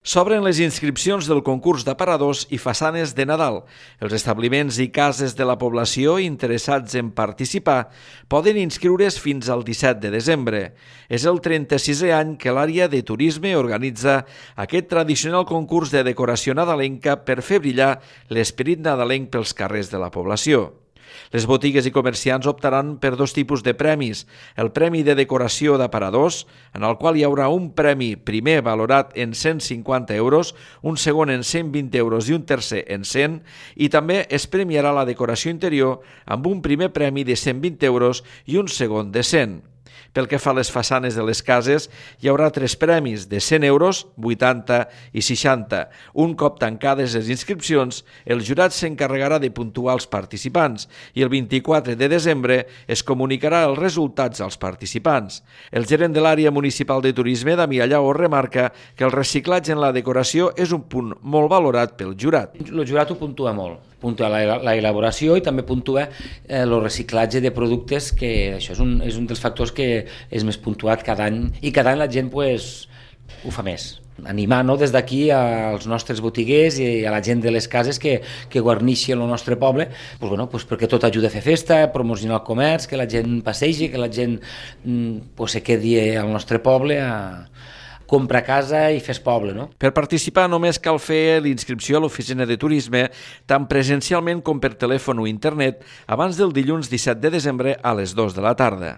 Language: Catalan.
S'obren les inscripcions del concurs d'aparadors i façanes de Nadal. Els establiments i cases de la població interessats en participar poden inscriure's fins al 17 de desembre. És el 36è any que l'àrea de turisme organitza aquest tradicional concurs de decoració nadalenca per fer brillar l'esperit nadalenc pels carrers de la població. Les botigues i comerciants optaran per dos tipus de premis. El Premi de Decoració d'Aparadors, en el qual hi haurà un premi primer valorat en 150 euros, un segon en 120 euros i un tercer en 100, i també es premiarà la decoració interior amb un primer premi de 120 euros i un segon de 100. Pel que fa a les façanes de les cases, hi haurà 3 premis de 100 euros, 80 i 60. Un cop tancades les inscripcions, el jurat s'encarregarà de puntuar els participants i el 24 de desembre es comunicarà els resultats als participants. El gerent de l'àrea municipal de turisme, Damià Lleó, remarca que el reciclatge en la decoració és un punt molt valorat pel jurat. El jurat ho puntua molt. Puntua la elaboració i també puntua el reciclatge de productes, que això és un dels factors que és més puntuat cada any, i cada any la gent ho fa més. Animar des d'aquí als nostres botiguers i a la gent de les cases que guarneixen el nostre poble, perquè tot ajuda a fer festa, a promocionar el comerç, que la gent passegi, que la gent se quedi al nostre poble compra casa i fes poble, no? Per participar només cal fer l'inscripció a l'oficina de turisme, tant presencialment com per telèfon o internet, abans del dilluns 17 de desembre a les 2 de la tarda.